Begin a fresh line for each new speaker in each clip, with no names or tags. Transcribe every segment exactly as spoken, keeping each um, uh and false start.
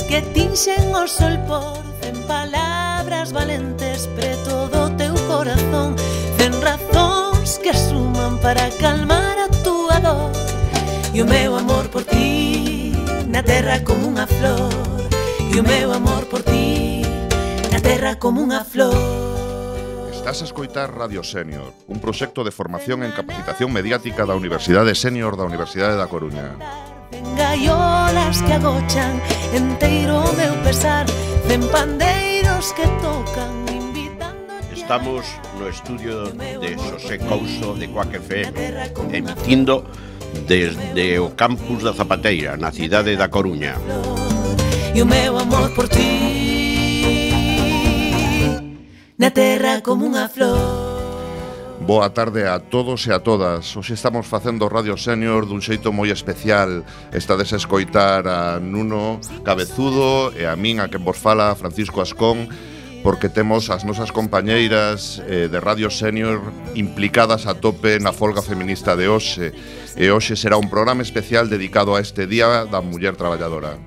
que tinxen o sol por cen palabras valentes preto do teu corazón, cen razóns que suman para calmar a túa dor. E o meu amor por ti na terra como unha flor, e o meu amor por ti na terra como unha flor.
Estás a escoitar Radio Sénior, un proxecto de formación en capacitación mediática da Universidade Sénior da Universidade da Coruña.
Gaiolas que agochan enteiro o meu pesar, cen pandeiros que tocan invitando.
Estamos no estudio de Xosé Couso de Cuac F M, emitindo desde o campus da Zapateira, na cidade da Coruña.
E o meu amor por ti na terra como unha flor.
Boa tarde a todos e a todas. Hoxe estamos facendo Radio Sénior dun xeito moi especial. Estades a escoitar a Nuno Cabezudo e a min, a quen vos fala, Francisco Ascón, porque temos as nosas compañeiras eh, de Radio Sénior implicadas a tope na folga feminista de hoxe. E hoxe será un programa especial dedicado a este Día da Muller Traballadora.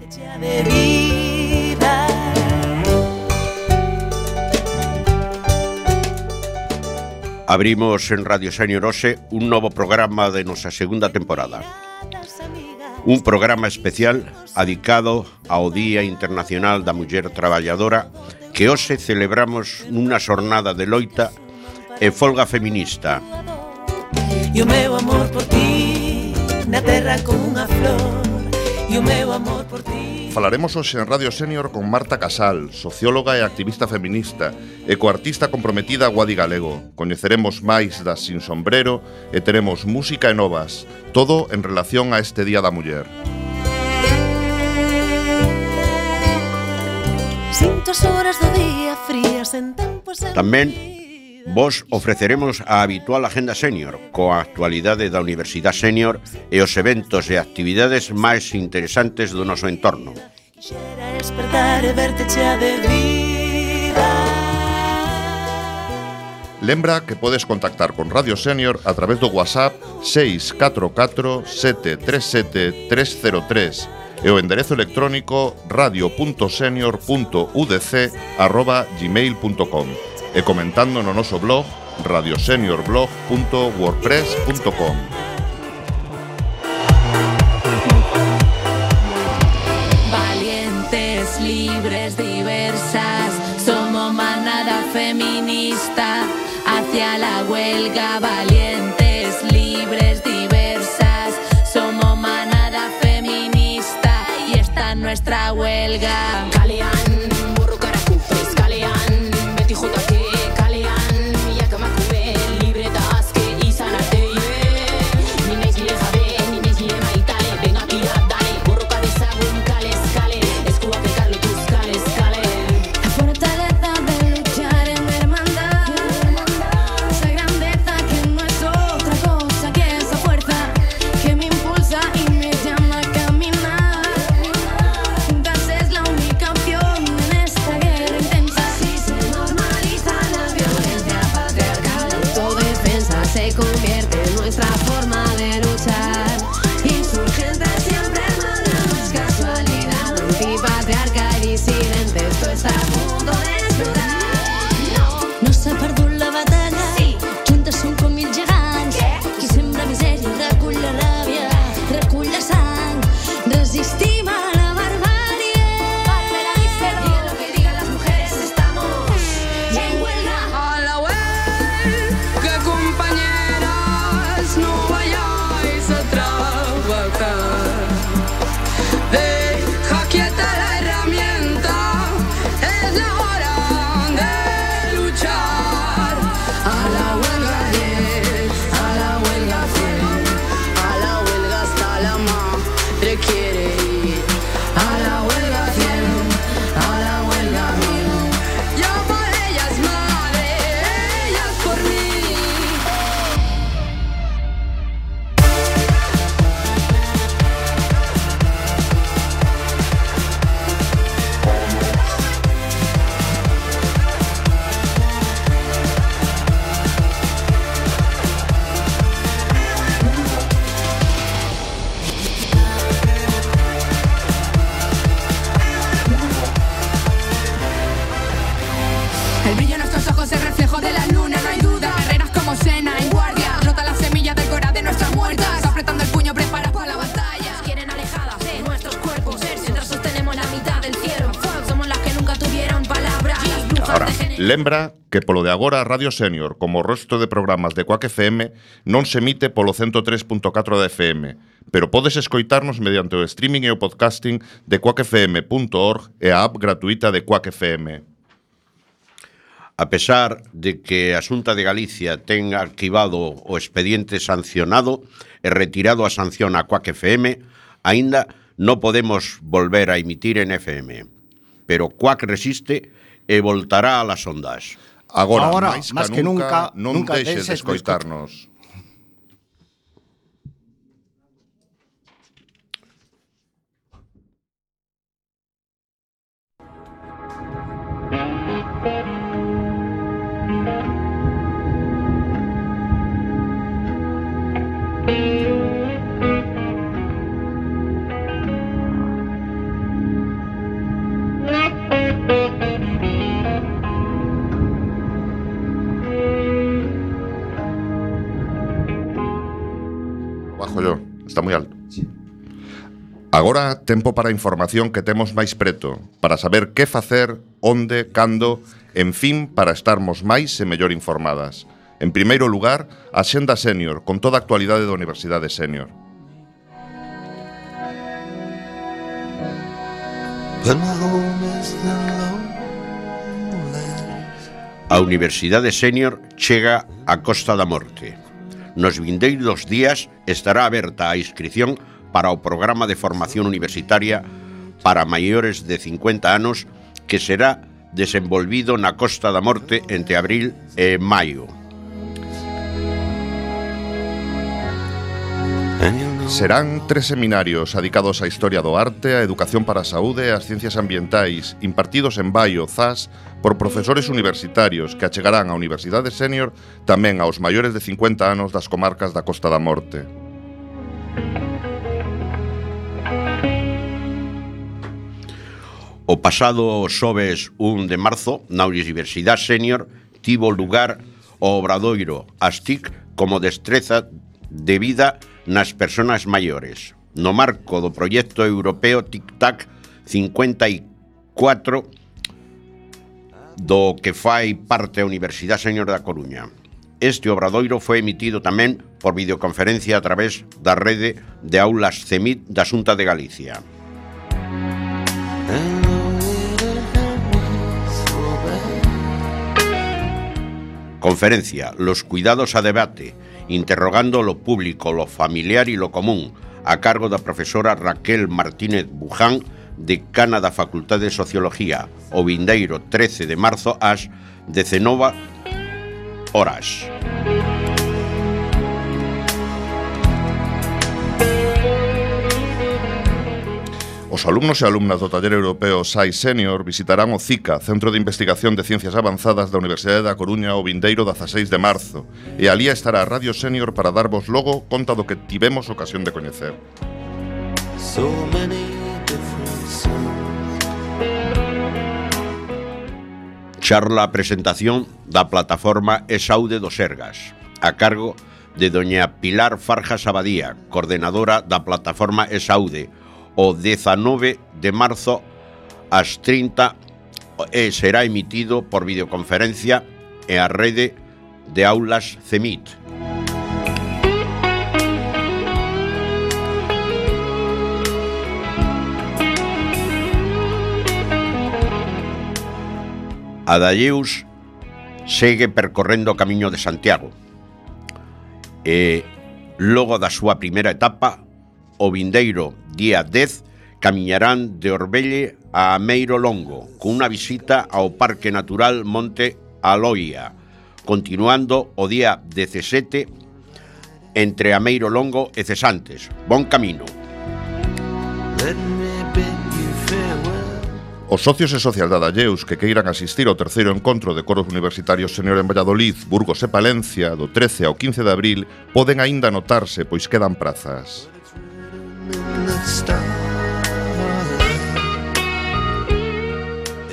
Abrimos en Radio Sénior hoxe un novo programa de nosa segunda temporada. Un programa especial dedicado ao Día Internacional da Muller Traballadora, que hoxe celebramos nunha xornada de loita e folga feminista.
E o meu amor por ti na terra como unha flor, e o meu amor por ti.
Falaremos hoxe en Radio Sénior con Marta Casal, socióloga e activista feminista, e coartista comprometida a Guadi Galego. Coñeceremos máis das Sin Sombrero e teremos música e novas, todo en relación a este Día da Muller.
Sinto as horas do día frías en tempos en
Tamén vos ofreceremos a habitual agenda sénior, coa actualidade da Universidade Sénior e os eventos e actividades máis interesantes do noso entorno.
Quixera despertar e verte chea de vida.
Lembra que podes contactar con Radio Sénior a través do WhatsApp seis catro catro sete tres sete tres cero tres e o enderezo electrónico radio punto senior punto u d c arroba gmail punto com e comentando no noso blog radio senior blog punto wordpress punto com.
Valientes, libres, diversas, somos manada feminista hacia la huelga. Valientes, libres, diversas, somos manada feminista y esta es nuestra huelga. Kalian, burro caracufes, Kalian, Betty Jutake, Kalian, Yakamakube, libre taske y sanate. Nines le jabe, nines le maitale, ven aquí a dale, burro cabezagún, cales, cale, escuba pecarlo tus cales, cale. La fortaleza de luchar en hermandad, esa grandeza que no es otra cosa que esa fuerza que me impulsa y me llama a caminar. Juntas es la única
El brillo en nuestros ojos es reflejo de la luna, no hay duda. Guerreras como Senna en guardia, rota la semilla del corazón de nuestras muertas, apretando el puño preparadas para la batalla.
Nos quieren alejadas de nuestros cuerpos, mientras sostenemos la mitad del cielo. Somos las que nunca tuvieron palabra.
Ahora, lembra que polo de agora Radio Senior, como o resto de programas de Quack F M, non se emite polo ciento tres punto catro da F M, pero podes escoitarnos mediante o streaming e o podcasting de quack f m punto org e a app gratuita de Quack F M.
A pesar de que a Xunta de Galicia ten arquivado o expediente sancionado e retirado a sanción a Quack F M, aínda non podemos volver a emitir en F M. Pero Quack resiste e voltará a las ondas.
Agora,
Agora
máis
máis
que
que
nunca,
nunca,
non
nunca
deixes de
deixes de
escoitarnos. Bajo yo, está moi alto. Agora, tempo para a información que temos máis preto, para saber que facer, onde, cando, en fin, para estarmos máis e mellor informadas. En primeiro lugar, a Xenda Senior, con toda a actualidade da Universidade Senior.
A Universidade Senior chega a Costa da Morte. Nos vindeiros días estará aberta a inscrición para o programa de formación universitaria para maiores de cincuenta anos que será desenvolvido na Costa da Morte entre abril e maio.
Serán tres seminarios adicados á historia do arte, á educación para a saúde e ás ciencias ambientais, impartidos en Baio, Zas, por profesores universitarios que achegarán á Universidade Senior tamén aos maiores de cincuenta anos das comarcas da Costa da Morte.
O pasado xoves un de marzo, na Universidade Senior, tivo lugar o obradoiro As T I C como destreza de vida nas persoas maiores. No marco do proxecto europeo Tic-Tac cincuenta e cuatro, do que fai parte a Universidade Senior da Coruña. Este obradoiro foi emitido tamén por videoconferencia a través da rede de aulas C E M I T da Xunta de Galicia. Conferencia Los cuidados a debate, interrogando lo público, lo familiar y lo común, a cargo da profesora Raquel Martínez Buján, decana da Facultade de Sociología, o vindeiro trece de marzo ás dezenove horas.
Os alumnos e alumnas do taller europeo S A I Senior visitarán o CICA, Centro de Investigación de Ciencias Avanzadas da Universidade da Coruña, o vindeiro dezaseis de marzo, e alí estará a Radio Senior para darvos logo conta do que tivemos ocasión de coñecer.
Charla a presentación da plataforma E-Saúde do Sergas, a cargo de doña Pilar Farjas Abadía, coordenadora da plataforma E-Saúde, o dezanove de marzo ás trinta e será emitido por videoconferencia e a rede de aulas C E M I T. Adayeus segue percorrendo o camiño de Santiago e logo da súa primeira etapa, o vindeiro día dez, camiñarán de Orbelle a Ameiro Longo, cunha visita ao Parque Natural Monte Aloia, continuando o día dezasete entre Ameiro Longo e Cesantes. Bon camino.
Os socios e socias de Adayeus que queiran asistir ao terceiro encontro de coros universitarios senior en Valladolid, Burgos e Palencia, do trece ao quince de abril, poden aínda anotarse, pois quedan prazas.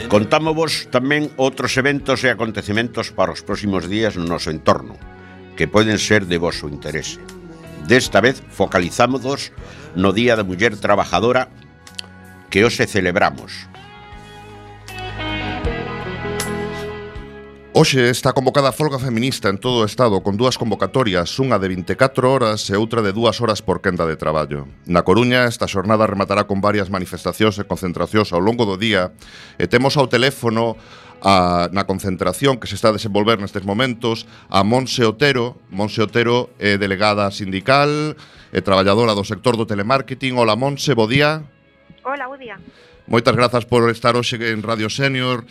Contámosvos tamén outros eventos e acontecementos para os próximos días no noso entorno, que poden ser de voso interese. Desta vez focalizámonos no Día da Muller Trabajadora que hoxe celebramos.
Hoxe está convocada a folga feminista en todo o Estado con dúas convocatorias, unha de vinte e catro horas e outra de dúas horas por quenda de traballo. Na Coruña, esta xornada rematará con varias manifestacións e concentracións ao longo do día e temos ao teléfono a, na concentración que se está a desenvolver nestes momentos a Montse Otero. Montse Otero é delegada sindical e traballadora do sector do telemarketing. Hola Montse, bo día.
Hola, bo día.
Moitas grazas por estar hoxe en Radio Senior.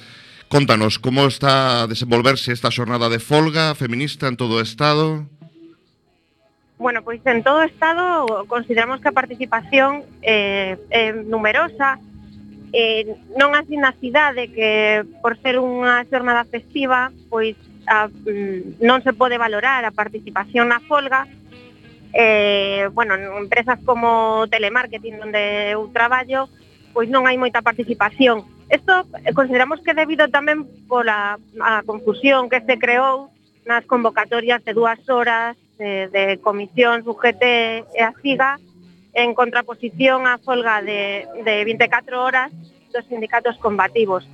Contanos, como está a desenvolverse esta xornada de folga feminista en todo o Estado?
Bueno, pois en todo o Estado consideramos que a participación é, é numerosa, eh, non así na cidade, que por ser unha xornada festiva, pois a, non se pode valorar a participación na folga. Eh, bueno, en empresas como telemarketing, onde eu traballo, pois non hai moita participación. Isto consideramos que debido tamén pola a confusión que se creou nas convocatorias de dúas horas de, de comisións U G T e a SIGA en contraposición á folga de, de vinte e catro horas dos sindicatos combativos.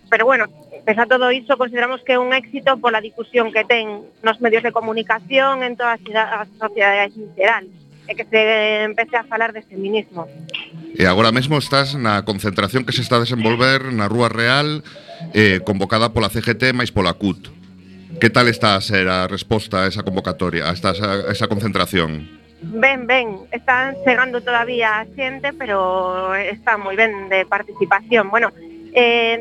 Pero bueno, pese a todo iso, consideramos que é un éxito pola difusión que ten nos medios de comunicación en toda a sociedade en xeral, e que se empece a falar de feminismo.
E agora mesmo estás na concentración que se está a desenvolver na Rúa Real, eh, convocada pola C G T máis pola C U T. Que tal está a ser a resposta a esa convocatoria, a esta, a esa concentración?
Ben, ben, están chegando todavía a xente, pero está moi ben de participación. Bueno, eh,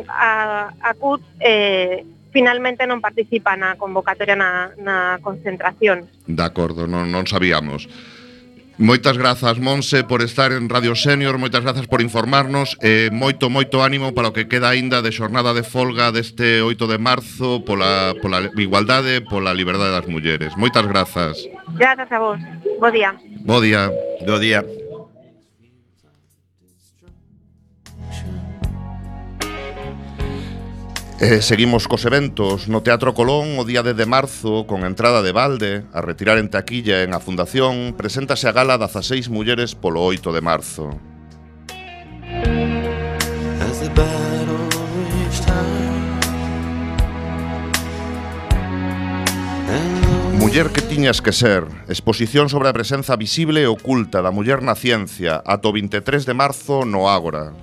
a, a C U T eh, finalmente non participa na convocatoria na, na concentración.
De acordo, non, non sabíamos. Moitas grazas, Montse, por estar en Radio Senior, moitas grazas por informarnos e moito, moito ánimo para o que queda aínda de xornada de folga deste oito de marzo pola, pola igualdade, pola liberdade das mulleres. Moitas grazas.
Grazas a vos. Bo día.
Bo día.
Do día.
Eh, seguimos cos eventos no Teatro Colón. O día dez de marzo, con entrada de balde, a retirar en taquilla en a Fundación, preséntase a gala dezaseis mulleres polo oito de marzo. Muller que tiñas que ser, exposición sobre a presenza visible e oculta da muller na ciencia, ata o vinte e tres de marzo no Ágora.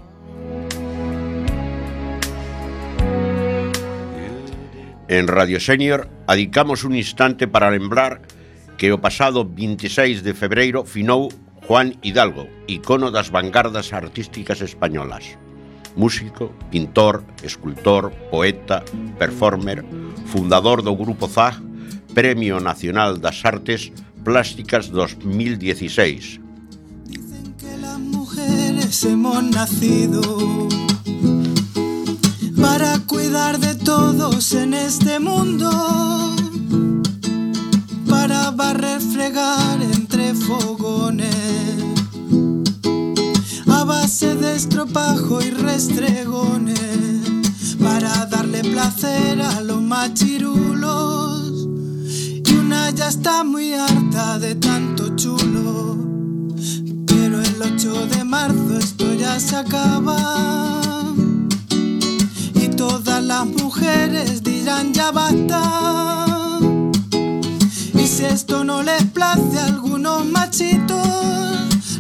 En Radio Senior adicamos un instante para lembrar que o pasado vinte e seis de febreiro finou Juan Hidalgo, icono das vanguardas artísticas españolas. Músico, pintor, escultor, poeta, performer, fundador do Grupo Z A G, Premio Nacional das Artes Plásticas dos mil dieciséis.
Dicen que las mujeres hemos nacido para cuidar de todos en este mundo, para barrer, fregar entre fogones, a base de estropajo y restregones, para darle placer a los machirulos. Y una ya está muy harta de tanto chulo, pero el ocho de marzo esto ya se acaba. Todas las mujeres dirán ya basta. Y si esto no les place a algunos machitos,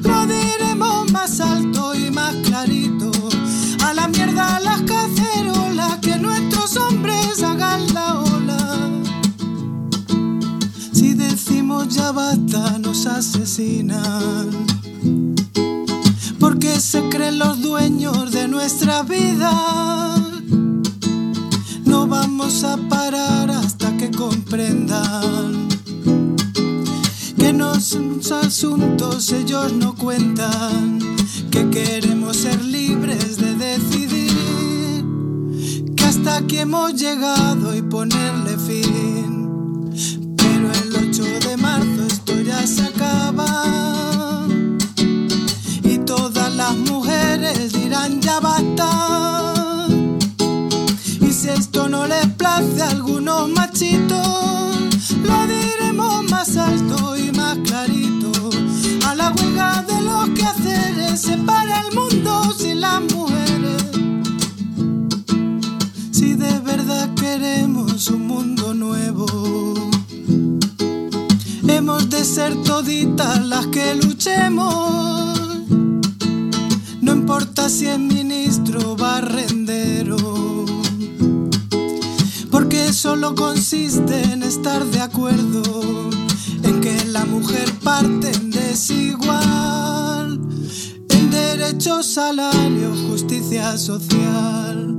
lo diremos más alto y más clarito. A la mierda las cacerolas, que nuestros hombres hagan la ola. Si decimos ya basta nos asesinan, porque se creen los dueños de nuestra vida. No vamos a parar hasta que comprendan que no son asuntos ellos no cuentan, que queremos ser libres de decidir, que hasta aquí hemos llegado y ponerle fin. Pero el ocho de marzo esto ya se acaba y todas las mujeres dirán ya basta. esto no les place a algunos machitos, lo diremos más alto y más clarito. A la huelga de los quehaceres se para el mundo sin las mujeres. Si de verdad queremos un mundo nuevo, hemos de ser toditas las que luchemos. No importa si es ministro o barrendero, porque solo consiste en estar de acuerdo en que la mujer parte en desigual, en derecho, salario, justicia social.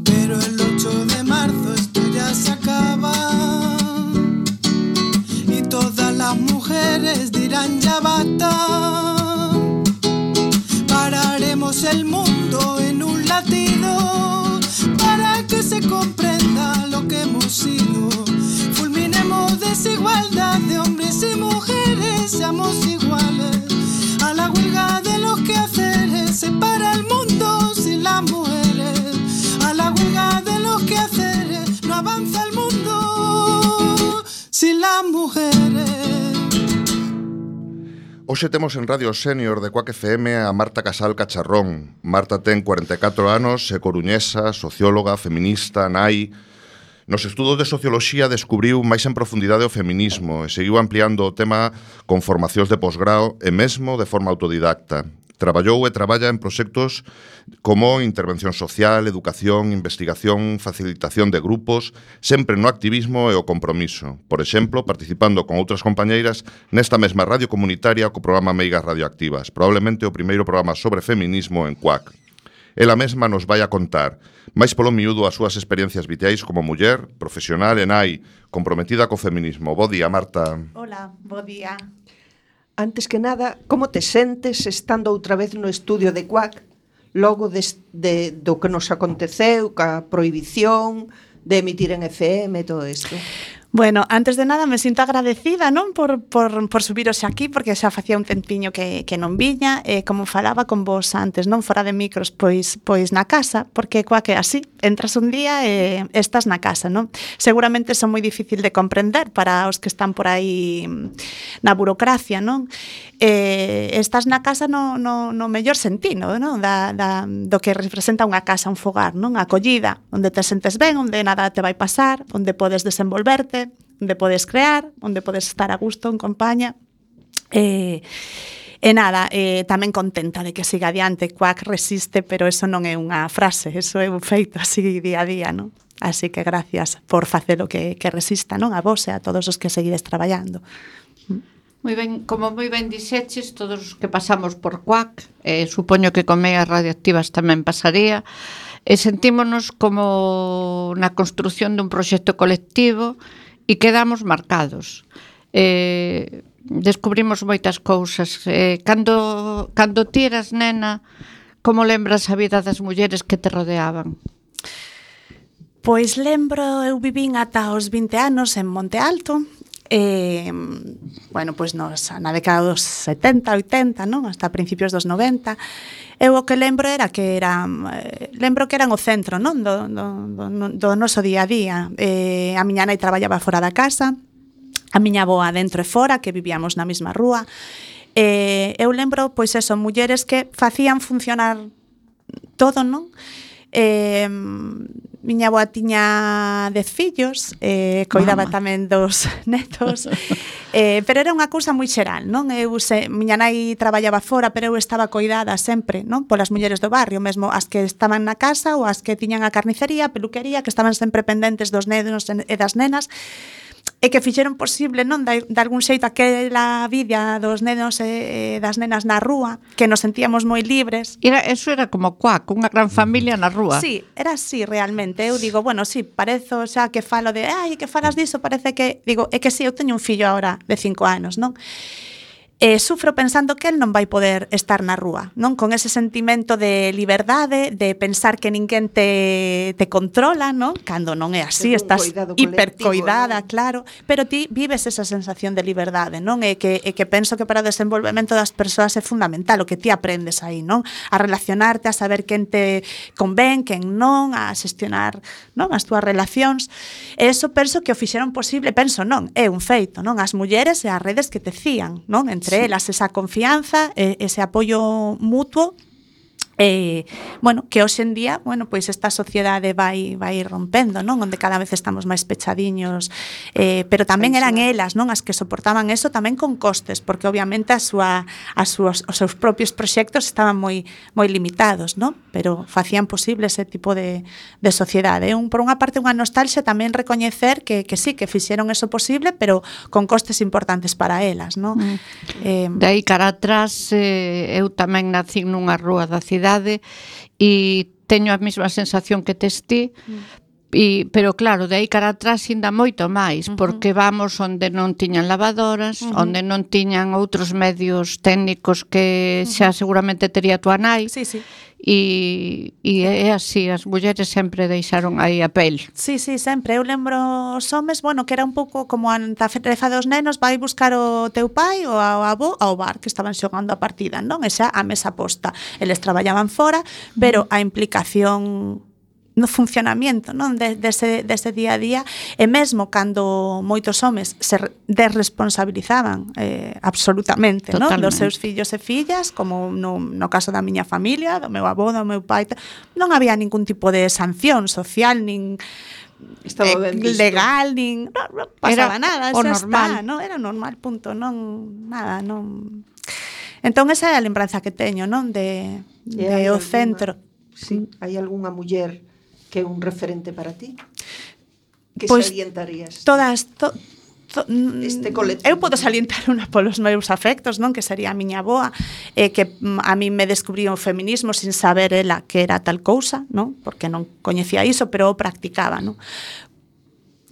Pero el ocho de marzo esto ya se acaba y todas las mujeres dirán ya basta. Pararemos el mundo en un latido para que se comprenda lo que hemos sido. Fulminemos desigualdad de hombres y mujeres, seamos iguales. A la huelga de los quehaceres se para el mundo sin las mujeres. A la huelga de los quehaceres no avanza el mundo sin las mujeres.
Hoxe temos en Radio Senior de Quack F M a Marta Casal Cacharrón. Marta ten cuarenta e catro anos, é coruñesa, socióloga, feminista, nai. Nos estudos de socioloxía descubriu máis en profundidade o feminismo e seguiu ampliando o tema con formacións de posgrao e mesmo de forma autodidacta. Traballou e traballa en proxectos como intervención social, educación, investigación, facilitación de grupos, sempre no activismo e o compromiso. Por exemplo, participando con outras compañeiras nesta mesma radio comunitaria co programa Meigas Radioactivas, probablemente o primeiro programa sobre feminismo en Quack. Ela mesma nos vai a contar, máis polo miúdo, as súas experiencias vitais como muller, profesional e nai, comprometida co feminismo. Bo día, Marta.
Hola, bo día. Antes que nada, como te sentes estando outra vez no estudio de Quack, logo de, de, do que nos aconteceu, ca prohibición de emitir en F M e todo isto?
Bueno, antes de nada me sinto agradecida, non, por, por, por subiros aquí, porque xa facía un tempiño que, que non viña, e como falaba con vos antes, non, fora de micros, pois, pois na casa, porque coa que así, entras un día e estás na casa, non? Seguramente son moi difícil de comprender para os que están por aí na burocracia, non? Eh, estás na casa no, no, no mellor sentido, non? Da, da, do que representa unha casa, un fogar, non? A acollida, onde te sentes ben, onde nada te vai pasar, onde podes desenvolverte, onde podes crear, onde podes estar a gusto en compañía. E, e nada, eh, tamén contenta de que siga adiante. Quack resiste, pero eso non é unha frase, eso é un feito así día a día, non? Así que gracias por facer o que, que resista, non? A vos e a todos os que seguides traballando.
Moi ben, como moi ben dixeches, todos os que pasamos por Quack, eh, supoño que con Meigas Radioactivas tamén pasaría, e sentímonos como na construción dun proxecto colectivo e quedamos marcados. Eh, descubrimos moitas cousas. Eh, cando, cando ti eras nena, como lembras a vida das mulleres que te rodeaban?
Pois lembro, eu vivín ata os vinte anos en Monte Alto, e, bueno, pois nos, na década dos setenta, oitenta, non? Hasta principios dos noventa. Eu o que lembro era que era eh, lembro que eran o centro, non, do, do, do, do noso día a día. Eh, a miña nai traballaba fora da casa, a miña avoa dentro e fora, que vivíamos na mesma rúa. Eh, eu lembro, pois eso, mulleres que facían funcionar todo, non? Eh, miña avoa tiña dez fillos, eh, coidaba Mama. tamén dos netos, eh, pero era unha cousa moi xeral, non? Eu se, miña nai traballaba fora, pero eu estaba coidada sempre, non? Polas mulleres do barrio, mesmo as que estaban na casa ou as que tiñan a carnicería, a peluquería, que estaban sempre pendentes dos nenos e das nenas, e que fixeron posible, non, de, de algún xeito aquela vida dos nenos e, e das nenas na rúa, que nos sentíamos moi libres.
Era, eso era como Quack, unha gran familia na rúa.
Sí, era así realmente. Eu digo, bueno, sí, parezo xa que falo de, ai, que falas diso, parece que, digo, é que sí, eu teño un fillo agora de cinco anos, non? E sufro pensando que el non vai poder estar na rúa, non? Con ese sentimento de liberdade, de pensar que ninguén te, te controla, non? Cando non é así, estás hipercoidada, ¿no? Claro, pero ti vives esa sensación de liberdade, non? E que, e que penso que para o desenvolvemento das persoas é fundamental o que ti aprendes aí, non? A relacionarte, a saber quen te convén, quen non, a xestionar, non? As túas relacións. E eso penso que o fixeron posible, penso non, é un feito, non? As mulleres e as redes que te cían, non? Entre sí. elas esa confianza, ese apoio mutuo. Eh, bueno, que hoxe en día, bueno, pois esta sociedade vai vai rompendo, non? Onde cada vez estamos máis pechadiños, eh, pero tamén eran elas, non, as que soportaban eso tamén con costes, porque obviamente a súa as súas os seus propios proxectos estaban moi moi limitados, non? Pero facían posible ese tipo de de sociedade. Un por unha parte unha nostalgia tamén recoñecer que que sí, que fixeron eso posible, pero con costes importantes para elas, non? Mm.
Eh, de aí cara atrás, eh, eu tamén nací nunha rúa da cidade e teño a mesma sensación que tes ti, e, pero claro, de aí cara atrás ainda moito máis, uh-huh. porque vamos onde non tiñan lavadoras, uh-huh. onde non tiñan outros medios técnicos que uh-huh. xa seguramente tería tua nai.
Sí, sí.
E, e é así, as mulleres sempre deixaron aí a pel.
Sí, sí, sempre. Eu lembro os homes, bueno, que era un pouco como a tarefa dos nenos, vai buscar o teu pai ou ao avó ao bar que estaban xogando a partida, non? E xa a mesa posta. Eles traballaban fora, pero a implicación no funcionamiento, non, de, dese, dese día a día, e mesmo cando moitos homes se desresponsabilizaban eh, absolutamente, non, dos seus fillos e fillas, como no, no caso da miña familia, do meu avó, do meu pai, non había ningún tipo de sanción social, nin eh, legal, nin non, non pasaba era nada, o normal, está, non, era normal, punto, non nada, non. Entón esa é a lembranza que teño, non, de, de o centro.
Sí, hai algunha muller que é un referente para ti? Que
pois,
salientarías?
Todas, to, to,
este colectivo.
Eu podo salientar unha polos meus afectos, non? Que sería a miña avoa, eh, que a mí me descubriu o feminismo sin saber ela que era tal cousa, non? Porque non coñecía iso, pero o practicaba, non?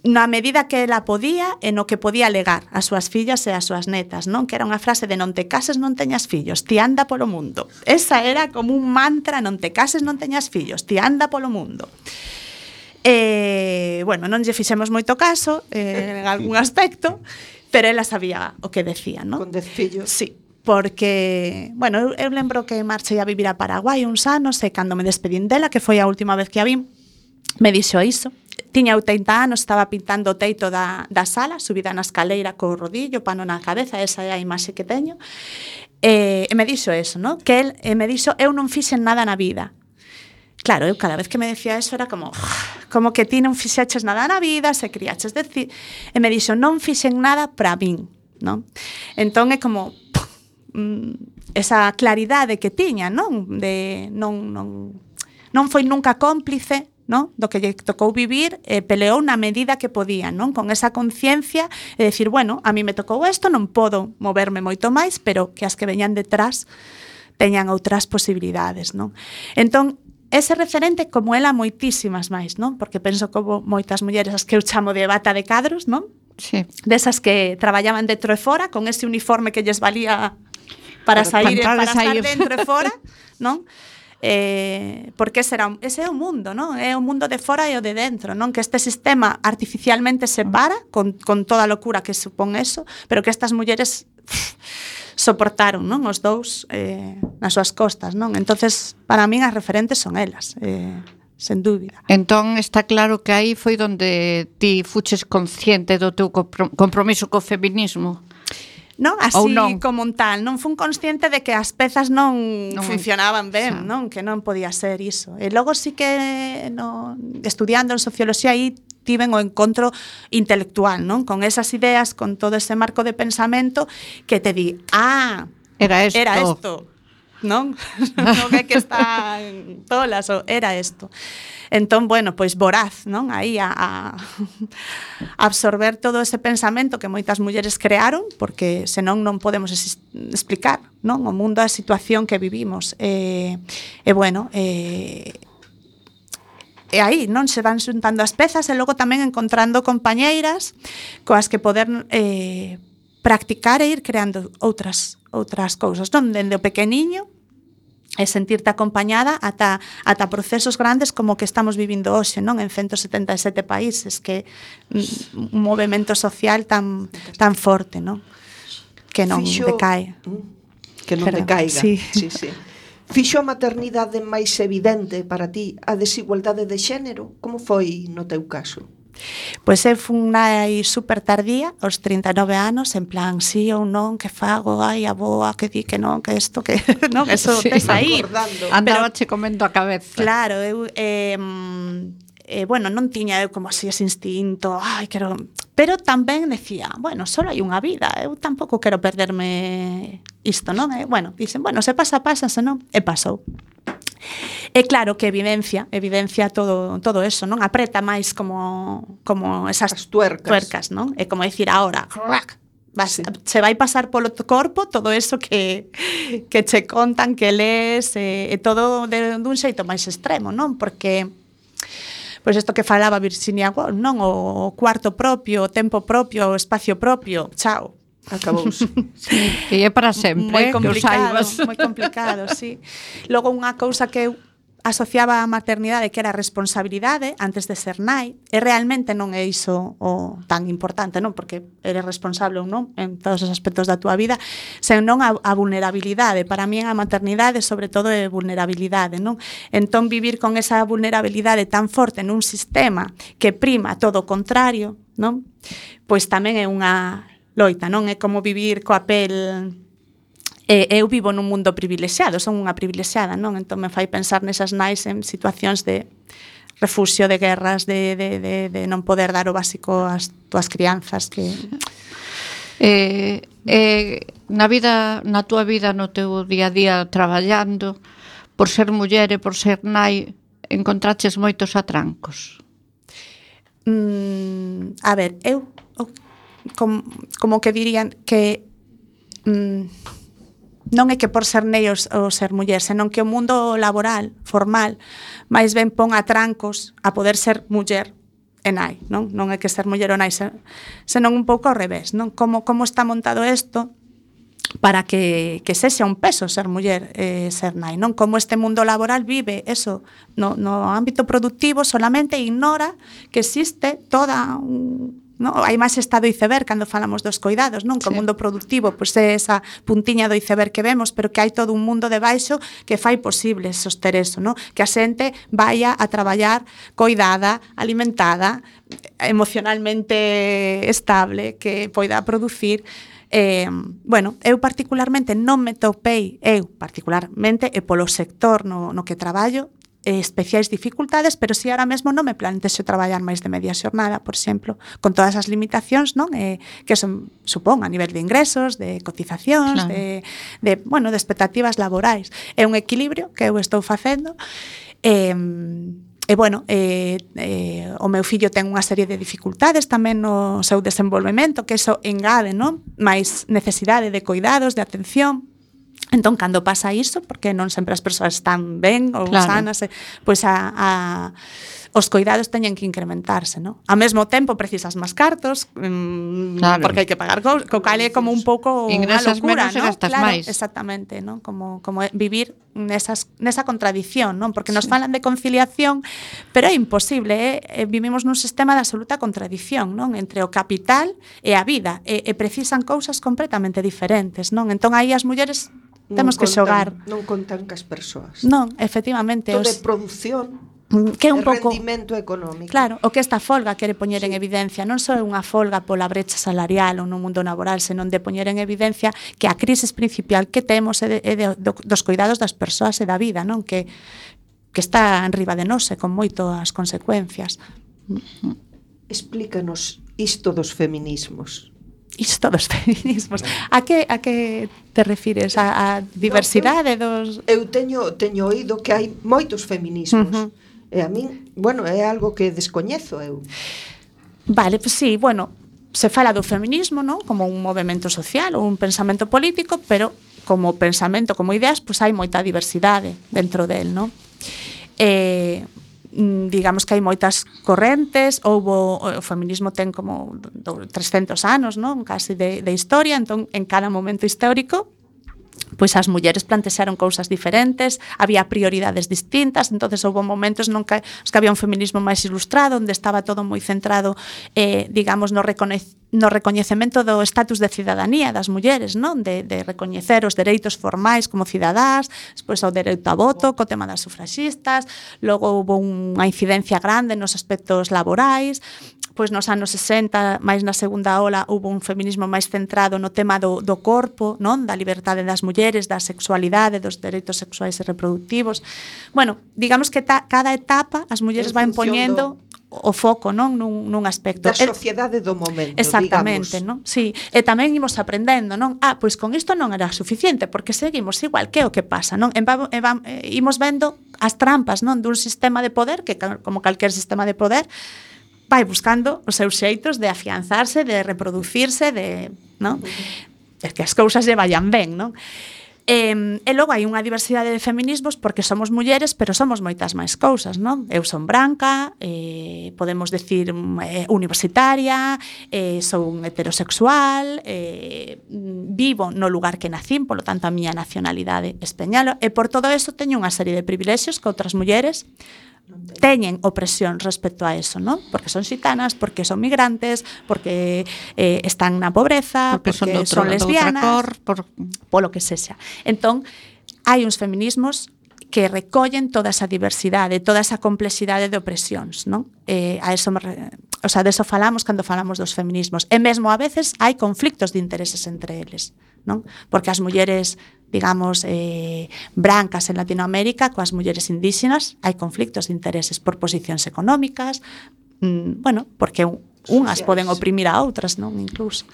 Na medida que ela podía e no que podía legar as súas fillas e as súas netas, non? Que era unha frase de non te cases, non teñas fillos, ti anda polo mundo. Esa era como un mantra, non te cases, non teñas fillos, ti anda polo mundo. E, bueno, non lle fixemos moito caso eh, en algún aspecto, pero ela sabía o que decía, non?
Con dez fillos.
Sí. Porque, bueno, eu, eu lembro que marchei a vivir a Paraguai uns anos e cando me despedín dela, que foi a última vez que a vin, me dixo iso. Tiña oitenta anos, estaba pintando o teito da, da sala, subida na escaleira co rodillo, pano na cabeza, esa é a imaxe que teño. E, e me dixo eso, ¿no? Que el e me dixo, eu non fixen nada na vida. Claro, eu cada vez que me decía eso era como como que ti non fixeches nada na vida, se criaches decir, e me dixo, non fixen nada para min, ¿no? Entón é como esa claridade que tiña, non? De non non non foi nunca cómplice, non? Do que lle tocou vivir, eh, peleou na medida que podía, non? Con esa conciencia e decir, bueno, a mí me tocou isto, non podo moverme moito máis, pero que as que veñan detrás teñan outras posibilidades, non? Entón, ese referente como ela moitísimas máis, non? Porque penso como moitas mulleres as que eu chamo de bata de cadros, non?
Sí.
Desas que traballaban dentro e fora, con ese uniforme que lles valía para, para sair e para estar dentro e fora, non? Eh, porque ese, era, ese é o mundo, non? É o mundo de fora e o de dentro, non? Que este sistema artificialmente separa con, con toda a locura que supón eso, pero que estas mulleres pff, soportaron, non? Os dous eh, nas súas costas, non? Entonces, para min as referentes son elas, eh, sen dúbida.
Entón está claro que aí foi donde ti fuches consciente do teu compromiso co feminismo.
Non? Así non. Como un tal, non fun consciente de que as pezas non, non funcionaban ben, xa. Non? Que non podía ser iso. E logo sí que no, estudiando en socioloxía aí tiven o encontro intelectual, non? Con esas ideas, con todo ese marco de pensamento que te di, ah,
era isto.
Era isto. Non? Non é que está tolas, era isto. Entón, bueno, pois voraz, non? Aí a, a absorber todo ese pensamento que moitas mulleres crearon, porque senón non podemos explicar, non? O mundo, a situación que vivimos. E, e bueno, e, e aí, non? Se van xuntando as pezas e logo tamén encontrando compañeiras coas que poder eh, practicar e ir creando outras outras cousas, non? Dende o pequeniño e sentirte acompañada ata, ata procesos grandes como que estamos vivindo hoxe, non? En ciento setenta e sete países, que un movimento social tan tan forte, non? Que non
Fixo,
decae.
Que non
Pero,
decaiga.
sí.
Sí, sí. Fixo a maternidade máis evidente para ti a desigualdade de xénero? Como foi no teu caso?
Pois eu fun nai super tardía, aos trinta e nove anos, en plan, sí ou non, que fago, ai, a boa, que di que non, que isto, que non, eso
Sí.
tes aí.
Andaba che comendo a cabeza.
Claro, eu, eh, eh, bueno, non tiña eu como así ese instinto, ai, quero... Pero tamén decía, bueno, só hai unha vida, eu tampouco quero perderme isto, non? E, bueno, dicen, bueno, se pasa, pasa, se non, e pasou. É claro que evidencia, evidencia todo todo eso, non? Apreta máis como como esas
As tuercas.
tuercas, non? É como dicir ahora, crack, vas, sí. Se vai pasar polo corpo todo eso que que che contan, que lees, e, e todo de dun xeito máis extremo, non? Porque pois isto que falaba Virginia Woolf, non? O cuarto propio, o tempo propio, o espacio propio, chao.
Acabouse.
Sí, que é para sempre,
Moi
eh, que o
complicado,
saibas.
moi complicado, sí. Logo unha cousa que eu asociaba a maternidade que era a responsabilidade antes de ser nai, e realmente non é iso o tan importante, non? Porque eres responsable ou non en todos os aspectos da túa vida, senón a, a vulnerabilidade. Para mí a maternidade sobre todo é vulnerabilidade, non? Entón vivir con esa vulnerabilidade tan forte nun sistema que prima todo o contrario, non? Pois tamén é unha loita, non? É como vivir coa pel... E, eu vivo nun mundo privilexiado, son unha privilexiada, non? Entón me fai pensar nesas nais en situacións de refuxio, de guerras, de, de, de, de non poder dar o básico ás túas crianzas, que...
Eh, eh, na vida, na túa vida, no teu día a día traballando, por ser muller e por ser nai, encontraches moitos atrancos?
Mm, a ver, eu... O, como, como que dirían que mm, non é que por ser nai ou, ou ser muller, senón que o mundo laboral, formal, máis ben pon atrancos a poder ser muller e nai, non? Non é que ser muller ou nai, senón un pouco ao revés, non? Como, como está montado isto para que, que sexa un peso ser muller e ser nai, non? Como este mundo laboral vive eso no, no ámbito productivo, solamente ignora que existe toda un... No, hai máis estado iceberg cando falamos dos coidados, non? Que o mundo productivo pois é esa puntiña do iceberg que vemos, pero que hai todo un mundo debaixo que fai posible soster eso, non? Que a xente vaya a traballar coidada, alimentada, emocionalmente estable, que poida producir. Eh, bueno, eu particularmente non me topei, eu particularmente e polo sector no, no que traballo, especiais dificultades, pero si ahora mesmo non me plantexo traballar máis de media xornada, por exemplo, con todas as limitacións, non? Eh, que son, supón a nivel de ingresos, de cotizacións, claro. de, de, bueno, de expectativas laborais. É un equilibrio que eu estou facendo. Eh, E, bueno, eh, eh, o meu fillo ten unha serie de dificultades tamén no seu desenvolvemento, que eso engade, non? máis necesidade de cuidados, de atención. Entón, cando pasa iso, porque non sempre as persoas están ben ou claro. sanas, pois a, a, os coidados teñen que incrementarse, non? Ao mesmo tempo precisas máis cartos, mmm, claro. porque hai que pagar co, co cal é como un pouco unha locura, non?
Gastas
claro,
máis.
Exactamente, non? Como, como vivir nesas, nesa contradición, non? Porque nos sí. falan de conciliación, pero é imposible, eh? Vivimos nun sistema de absoluta contradición, non? Entre o capital e a vida, e, e precisan cousas completamente diferentes, non? Entón aí as mulleres temos que xogar.
Non contan cas persoas.
Non, efectivamente.
Todo
os...
de produción,
que é un pouco
rendimento económico.
Claro, o que esta folga quere poñer sí. en evidencia non só é unha folga pola brecha salarial ou no mundo laboral, senón de poñer en evidencia que a crisis principal que temos é, de, é de, do, dos cuidados das persoas e da vida, non? Que, que está enriba de nós e con moitas consecuencias.
Explícanos isto dos feminismos.
Isto dos feminismos. A que a que te refires? A, a diversidade
no,
dos...
Eu teño teño oído que hai moitos feminismos. Uh-huh. E a min, bueno, é algo que descoñezo eu.
Vale, pues sí, bueno, se fala do feminismo, non? Como un movemento social ou un pensamento político, pero como pensamento, como ideas, pues hai moita diversidade dentro del, non? Eh, digamos que hai moitas correntes, houbo, o feminismo ten como trescentos anos, non? Casi de, de historia, entón en cada momento histórico pois as mulleres plantexaron cousas diferentes, había prioridades distintas, entonces houve momentos non que, que había un feminismo máis ilustrado, onde estaba todo moi centrado, eh, digamos, no, recoñe, no recoñecemento do estatus de cidadanía das mulleres, non? De, de recoñecer os dereitos formais como cidadás, despois o dereito a voto, co tema das sufraxistas, logo houve unha incidencia grande nos aspectos laborais, pois nos anos sesenta, máis na segunda ola, houve un feminismo máis centrado no tema do, do corpo, non? Da liberdade das mulleres, da sexualidade, dos dereitos sexuais e reproductivos. Bueno, digamos que ta, cada etapa as mulleres van poñendo o foco, non, nun, nun aspecto.
Da sociedade do momento,
exactamente,
digamos.
Non? Sí, e tamén imos aprendendo, non? Ah, pois con isto non era suficiente, porque seguimos igual, que é o que pasa, non? E va, e va, e imos vendo as trampas, non, dun sistema de poder que como calquer sistema de poder vai buscando os seus xeitos de afianzarse, de reproducirse, de, non? É que as cousas lle vayan ben, non? E, e logo hai unha diversidade de feminismos porque somos mulleres, pero somos moitas máis cousas, non? Eu son branca, eh, podemos decir eh, universitaria, eh, son heterosexual, eh, vivo no lugar que nacín, polo tanto a miña nacionalidade española, e por todo eso teño unha serie de privilexios que outras mulleres teñen opresión respecto a eso, ¿no? Porque son xitanas, porque son migrantes, porque eh, están na pobreza,
porque,
porque
son, outro,
son lesbianas,
cor, por...
polo que sexa. Entón, hai uns feminismos que recollen toda esa diversidade, toda esa complexidade de opresións, non? Eh, a eso me re... o sea, de eso falamos cando falamos dos feminismos. E mesmo a veces hai conflictos de intereses entre eles, non? Porque as mulleres, digamos, eh, brancas en Latinoamérica coas mulleres indígenas hai conflictos de intereses por posicións económicas, mmm, bueno, porque unhas poden oprimir a outras, non? Incluso.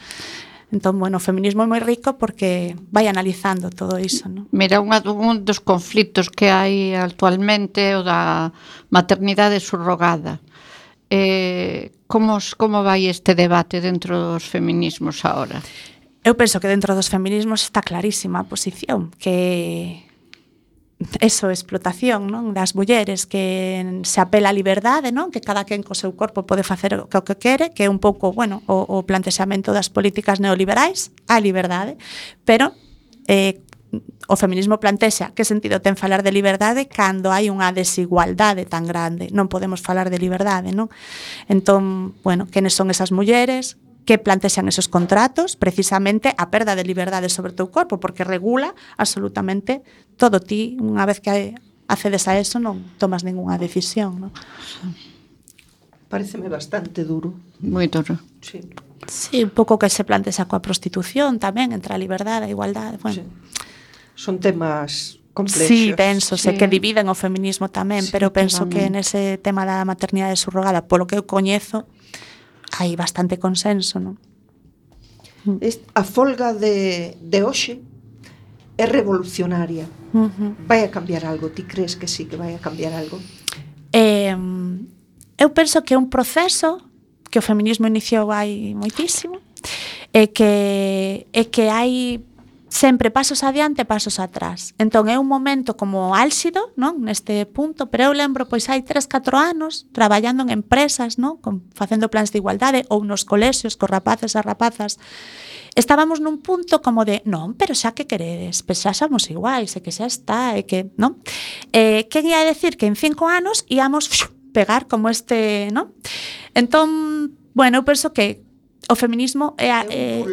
Entón, bueno, o feminismo é moi rico porque vai analizando todo iso, non?
Mira, unha, un dos conflitos que hai actualmente o da maternidade subrogada. Eh, como, como vai este debate dentro dos feminismos agora?
Eu penso que dentro dos feminismos está clarísima a posición, que eso, explotación, non, das mulleres, que se apela a liberdade, non, que cada quen co seu corpo pode facer o que quere, que é un pouco, bueno, o, o plantexamento das políticas neoliberais, a liberdade, pero eh, o feminismo plantexa que sentido ten falar de liberdade cando hai unha desigualdade tan grande. Non podemos falar de liberdade, non? Entón, bueno, quenes son esas mulleres que plantexan esos contratos, precisamente a perda de liberdade sobre o teu corpo, porque regula absolutamente todo. Ti, unha vez que accedes a eso, non tomas ningunha decisión, non?
Pareceme bastante duro.
Moi duro.
Sí.
Sí, un pouco que se plantexa coa prostitución tamén, entre a liberdade e a igualdade, bueno.
Sí. Son temas complexos.
Sí, densos,
sí.
E que dividen o feminismo tamén,
Sí,
pero penso
tamén.
que nese tema da maternidade subrogada, polo que eu coñezo, hai bastante consenso, non?
A folga de, de hoxe é revolucionaria.
Uh-huh.
Vai a cambiar algo? Ti crees que sí que vai a cambiar algo?
Eh, eu penso que é un proceso que o feminismo iniciou hai moitísimo e que, e que hai sempre pasos adiante e pasos atrás. Entón é un momento como álxido, non, neste punto, pero eu lembro, pois hai tres, catro anos traballando en empresas, non, con, facendo plans de igualdade ou nos colexios cos rapaces e rapazas. Estábamos nun punto como de, non, pero xa que queredes, pois xa somos iguais, e que xa está, e que, non? Eh, que ia decir que en cinco anos íamos pegar como este, non? Entón, bueno, eu penso que o feminismo é, é,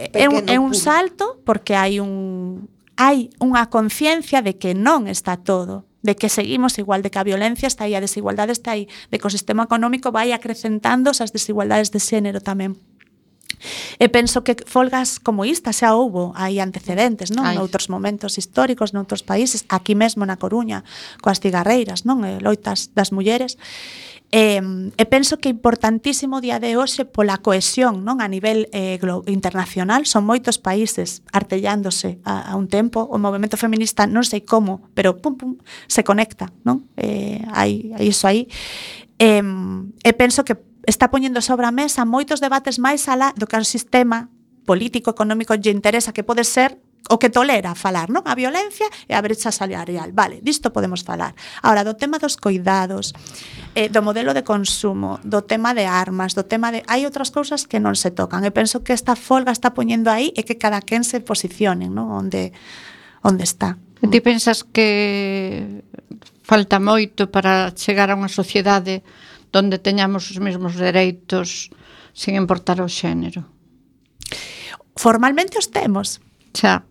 é, un, é un salto porque hai un hai unha conciencia de que non está todo, de que seguimos igual, de que a violencia está aí, a desigualdade está aí, de que o sistema económico vai acrecentando esas desigualdades de xénero tamén. E penso que folgas como esta xa houbo, hai antecedentes, non?
Ai.
Noutros momentos históricos, noutros países, aquí mesmo na Coruña, coas cigarreiras, non? E loitas das mulleres. E, e penso que é importantísimo o día de hoxe pola cohesión, non, a nivel eh, internacional. Son moitos países artellándose a, a un tempo. O movemento feminista non sei como, pero pum pum se conecta, non? Eh, hai, hai iso aí. E, e penso que está poñendo sobre a mesa moitos debates máis alá do que o sistema político económico lle interesa, que pode ser o que tolera falar, non? A violencia e a brecha salarial. Vale, disto podemos falar. Ahora, do tema dos coidados, eh, do modelo de consumo, do tema de armas, do tema de... Hai outras cousas que non se tocan. E penso que esta folga está poñendo aí e que cada quen se posicione, non? Onde, onde está.
E ti pensas que falta moito para chegar a unha sociedade donde teñamos os mesmos dereitos sin importar o xénero?
Formalmente os temos.
Xa,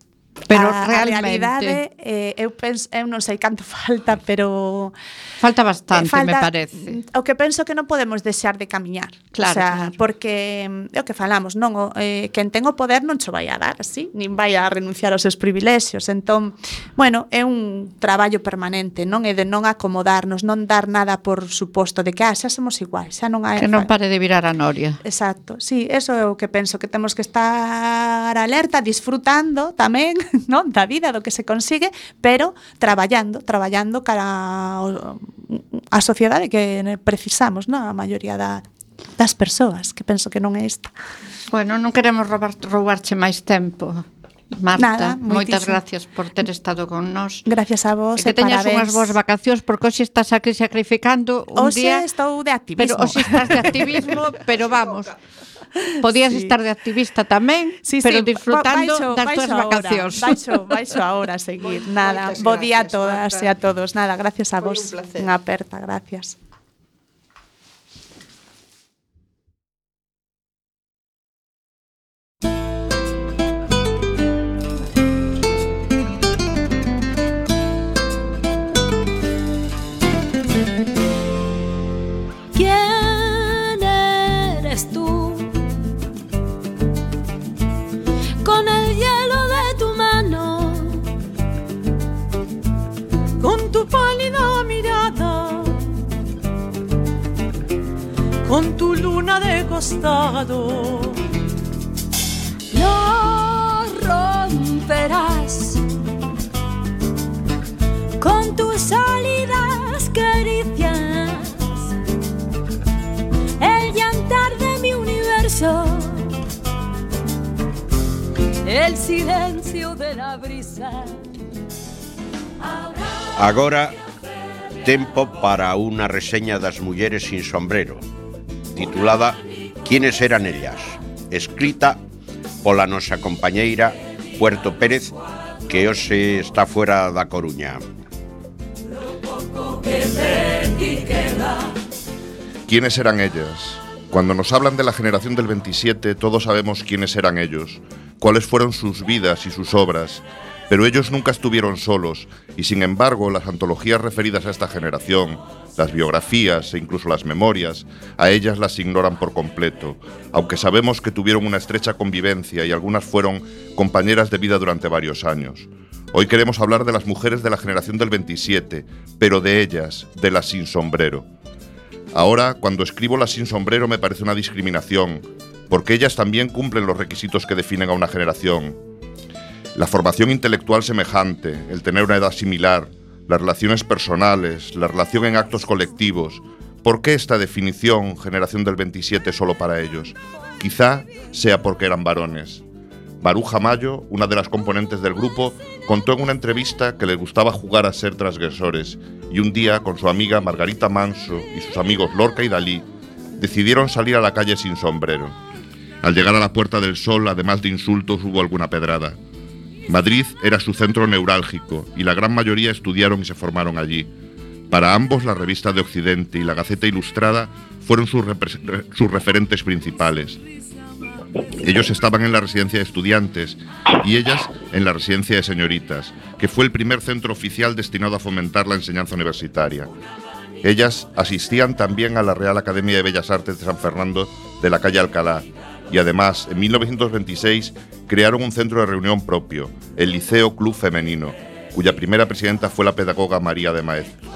pero
a,
realmente...
A realidade, eh, eu, penso, eu non sei canto falta, pero...
Falta bastante,
falta,
me parece.
O que penso que non podemos deixar de camiñar.
Claro,
o sea,
claro.
Porque é o que falamos, non? O, eh, quen ten o poder non cho vai a dar así, nin vai a renunciar aos seus privilexios. Entón, bueno, é un traballo permanente, non? É de non acomodarnos, non dar nada por suposto de que, ah, xa somos iguais, xa non hai...
Que non pare de virar a noria.
Exacto, sí, eso é o que penso, que temos que estar alerta, disfrutando tamén, non, da vida, do que se consigue, pero traballando, traballando cara ao, a sociedade que precisamos, non? A maioría da, das persoas, que penso que non é esta.
Bueno, non queremos roubar, roubarche máis tempo, Marta.
Nada,
moitas
moitísimo.
gracias por ter estado con nós.
Gracias a vos,
e que teñas unhas boas vacacións, porque hoxe estás aquí sacrificando un
hoxe
día...
Hoxe estou de activismo.
Pero hoxe estás de activismo, pero vamos... Podías sí. estar de activista tamén, sí, pero sí, disfrutando baixo, das túas vacacións.
Baixo, baixo ahora a seguir. Nada, bo día a todas e a todos. Nada, gracias a vos. Unha aperta, gracias.
¿Quién eres tú? Con el hielo de tu mano,
con tu pálida mirada, con tu luna de costado,
lo romperás con tus sólidas caricias, el llantar de mi universo, el silencio de la brisa.
Agora, tempo para unha reseña das mulleres sin sombrero, titulada Quiénes eran ellas, escrita pola nosa compañeira Puerto Pérez, que hoxe está fuera da Coruña.
¿Quiénes eran ellas? Cuando nos hablan de la generación del veintisiete, todos sabemos quiénes eran ellos, cuáles fueron sus vidas y sus obras, pero ellos nunca estuvieron solos, y sin embargo las antologías referidas a esta generación, las biografías e incluso las memorias, a ellas las ignoran por completo, aunque sabemos que tuvieron una estrecha convivencia y algunas fueron compañeras de vida durante varios años. Hoy queremos hablar de las mujeres de la generación del veintisiete, pero de ellas, de las sin sombrero. Ahora, cuando escribo las sin sombrero me parece una discriminación, porque ellas también cumplen los requisitos que definen a una generación. La formación intelectual semejante, el tener una edad similar, las relaciones personales, la relación en actos colectivos. ¿Por qué esta definición, generación del veintisiete, solo para ellos? Quizá sea porque eran varones. Maruja Mayo, una de las componentes del grupo, contó en una entrevista que les gustaba jugar a ser transgresores y un día, con su amiga Margarita Manso y sus amigos Lorca y Dalí, decidieron salir a la calle sin sombrero. Al llegar a la Puerta del Sol, además de insultos, hubo alguna pedrada. Madrid era su centro neurálgico y la gran mayoría estudiaron y se formaron allí. Para ambos, la Revista de Occidente y la Gaceta Ilustrada fueron sus, sus referentes principales. Ellos estaban en la residencia de estudiantes y ellas en la residencia de señoritas, que fue el primer centro oficial destinado a fomentar la enseñanza universitaria. Ellas asistían también a la Real Academia de Bellas Artes de San Fernando de la calle Alcalá y además, en mil novecientos veintiséis, crearon un centro de reunión propio, el Liceo Club Femenino, cuya primera presidenta fue la pedagoga María de Maeztu.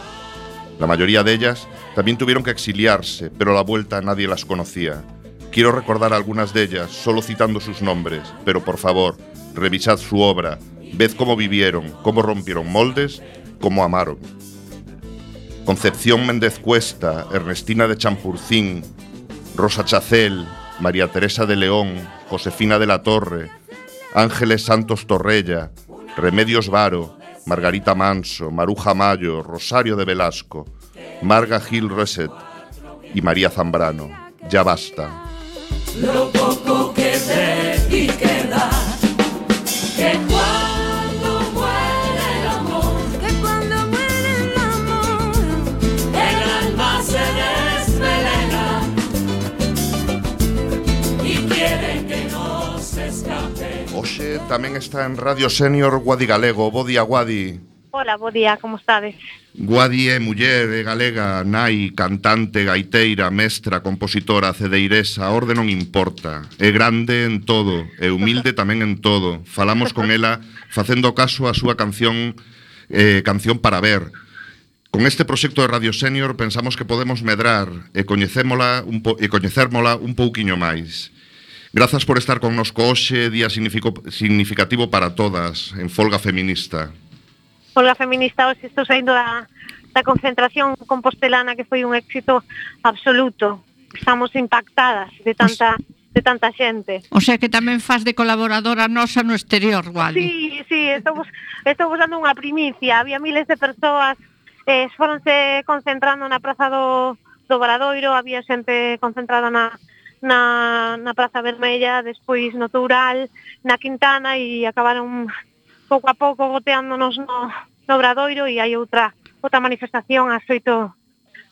La mayoría de ellas también tuvieron que exiliarse, pero a la vuelta nadie las conocía. Quiero recordar a algunas de ellas, solo citando sus nombres, pero por favor, revisad su obra, ved cómo vivieron, cómo rompieron moldes, cómo amaron. Concepción Méndez Cuesta, Ernestina de Champurcín, Rosa Chacel, María Teresa de León, Josefina de la Torre, Ángeles Santos Torrella, Remedios Varo, Margarita Manso, Maruja Mayo, Rosario de Velasco, Marga Gil Reset y María Zambrano. Ya basta.
Lo poco que de ti queda, que cuando muere el amor, que cuando muere el amor, el alma se desvelena y quiere que no se escape.
Hoxe tamén está en Radio Senior Guadi Galego. Bo día, Guadi.
Hola, bo día, como estades?
Guadi é muller, é galega, nai, cantante, gaiteira, mestra, compositora, cedeiresa, a orde non importa. É grande en todo, é humilde tamén en todo. Falamos con ela facendo caso a súa canción eh, Canción para ver. Con este proxecto de Radio Senior pensamos que podemos medrar e coñecémola un po e coñecérmola un pouquiño máis. Grazas por estar connosco hoxe, día significativo para todas, en folga feminista.
Folga feminista, hoxe estou saindo da, da concentración compostelana que foi un éxito absoluto. Estamos impactadas de tanta de tanta xente.
O sea que tamén faz de colaboradora nosa no exterior, Guadi.
Sí, sí, estou, estou usando unha primicia. Había miles de persoas, eh, foronse concentrando na Praza do, do Obradoiro, había xente concentrada na na, na Praza Vermella, despois no Toural, na Quintana, e acabaron pouco a pouco goteándonos no, no Obradoiro, e hai outra outra manifestación ás oito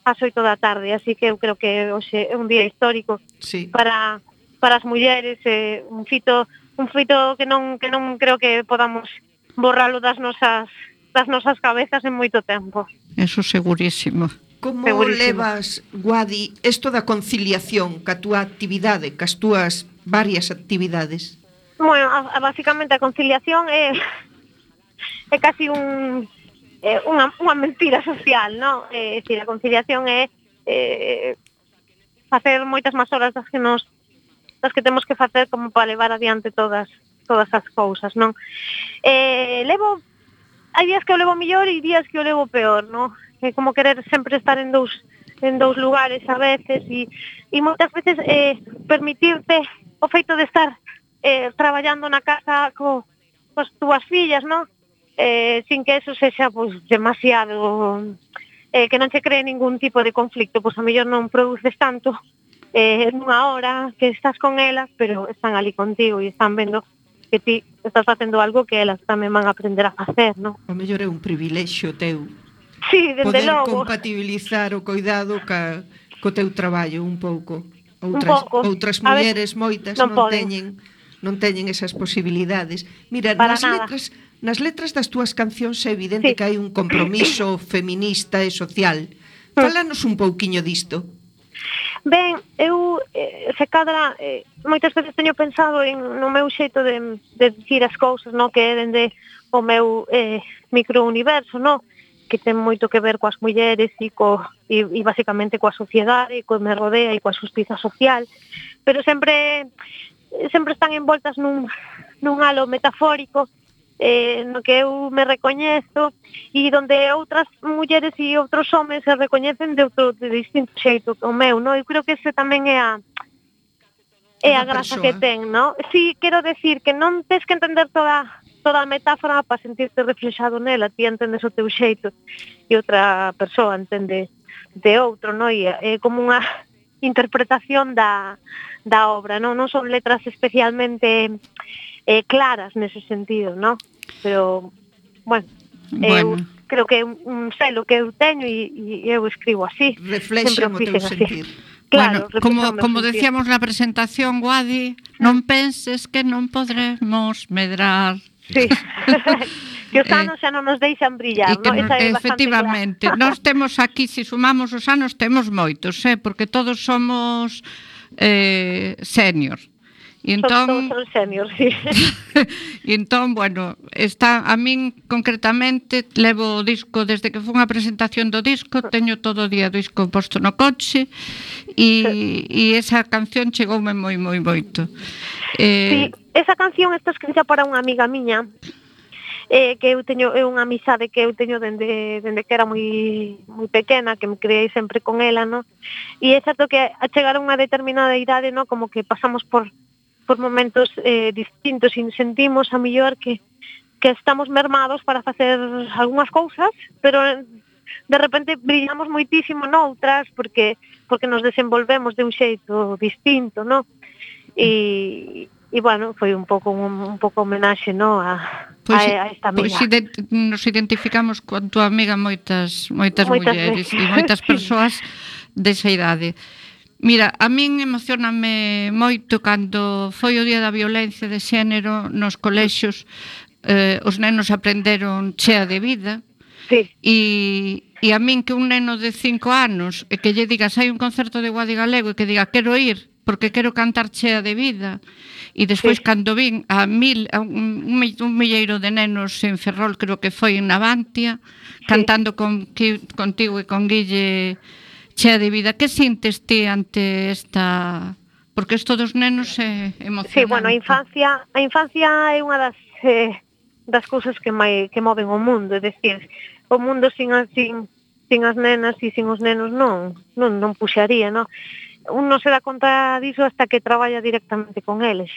ás oito da tarde, así que eu creo que hoxe é un día histórico
sí.
para para as mulleres, eh, un fito un fito que non que non creo que podamos borralo das nosas das nosas cabezas en moito tempo.
Eso segurísimo.
Como
Segurísimo.
levas, Guadi, isto da conciliación ca túa actividade, cas túas varias actividades?
Bueno, a, a, basicamente a conciliación é é casi un é unha, unha mentira social, non? É dicir, a conciliación é eh, facer moitas máis horas das que nos das que temos que facer como para levar adiante todas todas as cousas, non? Eh, levo hai días que o levo mellor e días que o levo peor, non? É como querer sempre estar en dous en dous lugares a veces e e moitas veces eh permitirte o feito de estar eh traballando na casa co cos túas fillas, non? Eh sin que eso sexa pois demasiado eh que non che cree ningún tipo de conflicto, pois a mellor non produces tanto eh nunha hora que estás con elas, pero están ali contigo e están vendo que ti estás facendo algo que elas tamén van a aprender a facer, non?
O mellor é un privilexio teu.
Sí, desde
poder
logo.
compatibilizar o cuidado ca, co teu traballo un pouco. Outras,
un pouco.
outras mulleres moitas non,
non
teñen non teñen esas posibilidades. Mira,
Para
nas
nada.
letras, nas letras das túas cancións é evidente
Sí.
que hai un compromiso feminista e social. Fálanos un pouquiño disto.
Ben, eu eh, se cadra eh, moitas veces teño pensado en, no meu xeito de, de dicir as cousas, no? Que é dende o meu eh, microuniverso, no? Que ten moito que ver coas mulleres e, co, e, e basicamente coa sociedade, e co me rodea e coa xustiza social, pero sempre sempre están envoltas nun, nun halo metafórico eh, no que eu me recoñezo e donde outras mulleres e outros homes se recoñecen de outro de distinto xeito que o meu, no? Eu creo que ese tamén é a é a graza que ten, no? Si, quero decir que non tes que entender toda toda a metáfora para sentirte reflexado nela, ti entendes o teu xeito e outra persoa entende de outro, no? E é como unha interpretación da, da obra, no? Non son letras especialmente eh, claras nese sentido, no? Pero, bueno,
bueno.
eu creo que é un, un selo que eu teño e, e eu escribo así.
Reflexan o teu sentir.
Claro,
bueno, como, como decíamos na presentación, Guadi, non penses que non podremos medrar.
Sí, que os anos xa non nos deixan brillar,
que,
no? Esa é
efectivamente, nós temos aquí, se sumamos os anos, temos moitos, eh? Porque todos somos eh, senior. E entón,
todos son senior, sí.
E entón, bueno, está a min concretamente levo o disco desde que fun a presentación do disco, teño todo o día o disco posto no coche e, e esa canción chegoume moi moi moito.
Eh, sí, esa canción está escrita para unha amiga miña. Eh, que eu teño é unha amizade que eu teño dende dende que era moi moi pequena, que me criei sempre con ela, no? E é certo que a chegar a unha determinada idade, no, como que pasamos por por momentos eh, distintos e sentimos a mellor que, que estamos mermados para facer algunhas cousas, pero de repente brillamos moitísimo noutras porque porque nos desenvolvemos de un xeito distinto, no? E, e bueno, foi un pouco un, un pouco homenaxe, no, a,
pois,
a, a esta amiga.
Pois ident nos identificamos con tua amiga moitas moitas, moitas mulleres e moitas persoas desa idade. Mira, a min emocioname moito cando foi o Día da Violencia de Xénero nos colexios, eh, os nenos aprenderon Chea de Vida.
Sí.
E, e a min que un neno de cinco anos e que lle digas hai un concerto de Guadi Galego e que diga quero ir porque quero cantar Chea de Vida, e despois sí. Cando vin a mil a un, un milleiro de nenos en Ferrol, creo que foi en Navantia, sí. Cantando con, contigo e con Guille Chea de Vida, que sintes ti ante esta... Porque isto dos nenos é emocionante.
Sí, bueno, a infancia, a infancia é unha das eh, das cousas que mai, que moven o mundo, é dicir, o mundo sin as, sin, sin as nenas e sin os nenos non, non, non puxaría, non? Un non se dá conta diso hasta que traballa directamente con eles.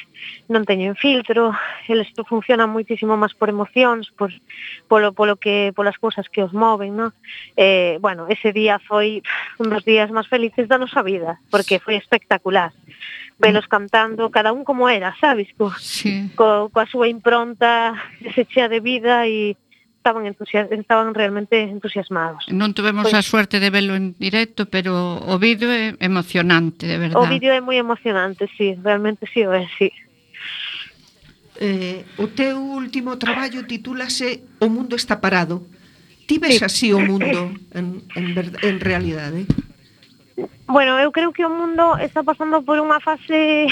Non teñen filtro, eles funcionan moitísimo máis por emocións, por, polo, polo que, polas cousas que os moven, non? Eh, bueno, ese día foi un dos días máis felices da nosa vida, porque foi espectacular. Velos cantando, cada un como era, sabes? Co,
sí.
co, coa súa impronta, ese Chea de Vida e estaban estaban realmente entusiasmados.
Non tuvemos pois, a suerte de verlo en directo, pero o vídeo é emocionante, de verdade.
O vídeo é moi emocionante, sí, realmente sí o é, sí.
Eh, o teu último traballo titúlase O mundo está parado. Ti ves sí. así o mundo en, en, en realidade?
Bueno, eu creo que o mundo está pasando por unha fase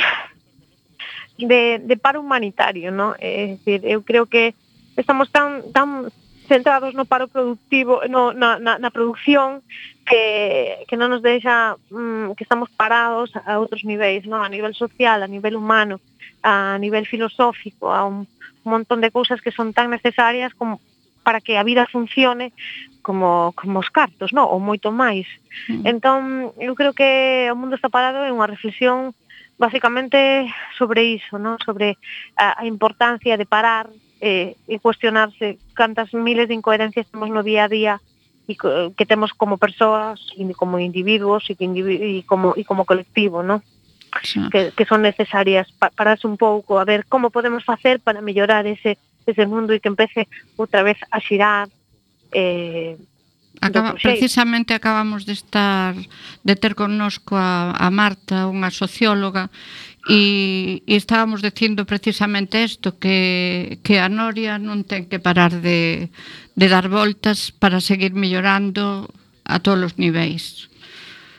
de, de paro humanitario, ¿no? É dicir, eu creo que estamos tan tan centrados no paro productivo, no, na, na, na producción, que, que non nos deixa, mm, que estamos parados a outros niveis, ¿no? A nivel social, a nivel humano, a nivel filosófico, a un, un montón de cousas que son tan necesarias como para que a vida funcione como, como os cartos, no? Ou moito máis. Mm. Entón, eu creo que o mundo está parado é unha reflexión basicamente sobre iso, no? Sobre a, a importancia de parar eh, e cuestionarse cantas miles de incoherencias temos no día a día e que temos como persoas e como individuos e, que individu e, como, e como colectivo, no? Sí. Que, que son necesarias pa, pararse un pouco a ver como podemos facer para mellorar ese ese mundo e que empece outra vez a xirar. Eh,
Acaba, precisamente acabamos de estar de ter connosco a, a Marta, unha socióloga, e, e estábamos dicindo precisamente isto, que, que a Noria non ten que parar de, de dar voltas para seguir mellorando a todos os niveis.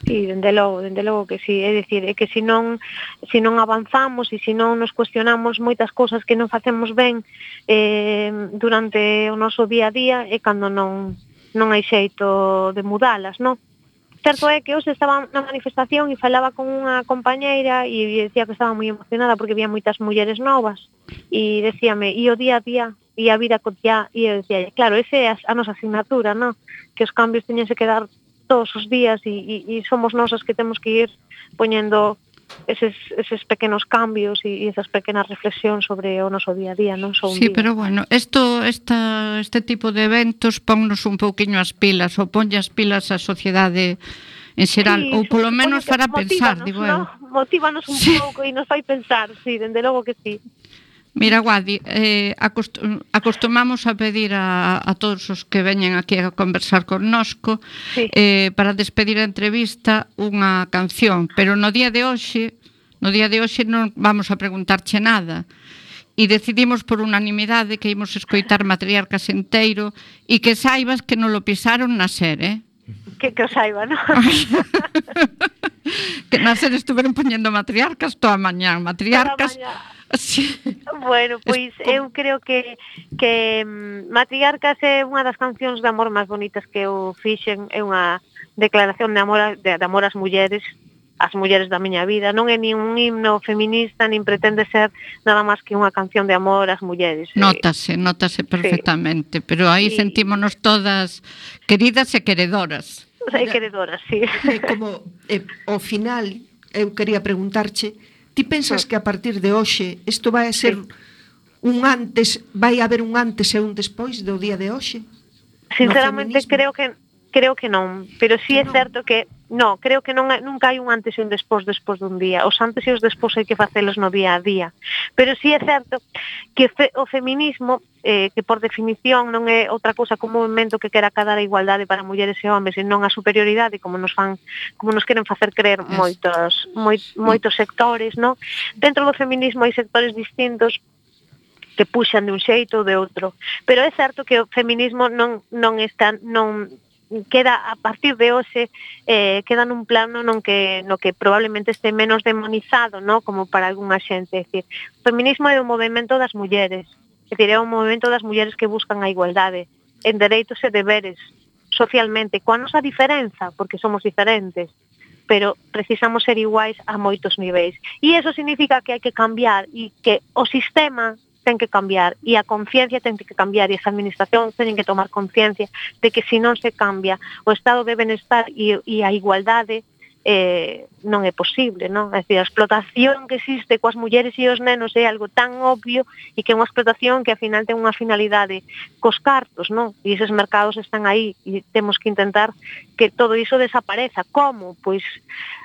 Sí, dende logo, dende logo que sí, é dicir, é que se non se non avanzamos e se non nos cuestionamos moitas cousas que non facemos ben eh, durante o noso día a día, é cando non non hai xeito de mudalas, non? Certo é que hoxe estaba na manifestación e falaba con unha compañeira e decía que estaba moi emocionada porque había moitas mulleres novas e decíame, e o día a día e a vida cotiá, e eu decía, claro, ese é a nosa asignatura, non? Que os cambios teñense que dar todos os días e, e, e somos nosas que temos que ir poñendo eses, eses pequenos cambios e, e esas pequenas reflexións sobre o noso día a día, non só un
sí,
día.
Pero bueno, esto, esta, este tipo de eventos ponnos un pouquiño as pilas ou ponlle as pilas a sociedade en xeral, sí, ou polo menos fará pensar, digo eu.
No? Motívanos un sí. pouco e nos fai pensar, sí, dende logo que sí.
Mira, Guadi, eh, acost acostumamos a pedir a, a todos os que veñen aquí a conversar connosco sí. eh, para despedir a entrevista unha canción, pero no día de hoxe no día de hoxe non vamos a preguntarche nada e decidimos por unanimidade que imos escoitar Matriarcas enteiro e que saibas que non lo pisaron na ser, eh?
Que, que o saiba, non?
Que na ser estuveron poñendo Matriarcas toda a mañá, Matriarcas.
Toda a mañá.
Sí.
Bueno, pois eu creo que que um, Matriarcas é unha das cancións de amor máis bonitas que eu fixen, é unha declaración de amor a, de, de amor ás mulleres, ás mulleres da miña vida, non é nin un himno feminista, nin pretende ser nada máis que unha canción de amor ás mulleres.
Nótase, nótase perfectamente, sí. Pero aí sí. Sentímonos todas queridas e queredoras.
E queredoras, sí.
É como, eh, ao final, eu quería preguntarche, ti Ti pensas que a partir de hoxe isto vai a ser un antes, vai haber un antes e un despois do día de hoxe?
Sinceramente creo que creo que non, pero sí é certo que no, creo que non nunca hai un antes e un despois despois dun día. Os antes e os despois hai que facelos no día a día. Pero sí é certo que fe, o feminismo eh, que por definición non é outra cousa que un movimento que quera cadar a igualdade para mulleres e homes e non a superioridade como nos fan, como nos queren facer creer moitos moi, moitos sectores, non? Dentro do feminismo hai sectores distintos que puxan de un xeito ou de outro, pero é certo que o feminismo non non está non queda a partir de hoxe eh, queda nun plano non que no que probablemente este menos demonizado, no, como para algunha xente, é dicir, o feminismo é o movemento das mulleres, é dicir, é o movemento das mulleres que buscan a igualdade en dereitos e deberes socialmente, coa nosa diferenza, porque somos diferentes, pero precisamos ser iguais a moitos niveis. E iso significa que hai que cambiar e que o sistema ten que cambiar e a conciencia ten que cambiar e as administracións teñen que tomar conciencia de que se non se cambia o estado de benestar e, e a igualdade eh, non é posible, non? É dicir, a explotación que existe coas mulleres e os nenos é algo tan obvio e que é unha explotación que ao final ten unha finalidade cos cartos, non? E eses mercados están aí e temos que intentar que todo iso desapareza. Como? Pois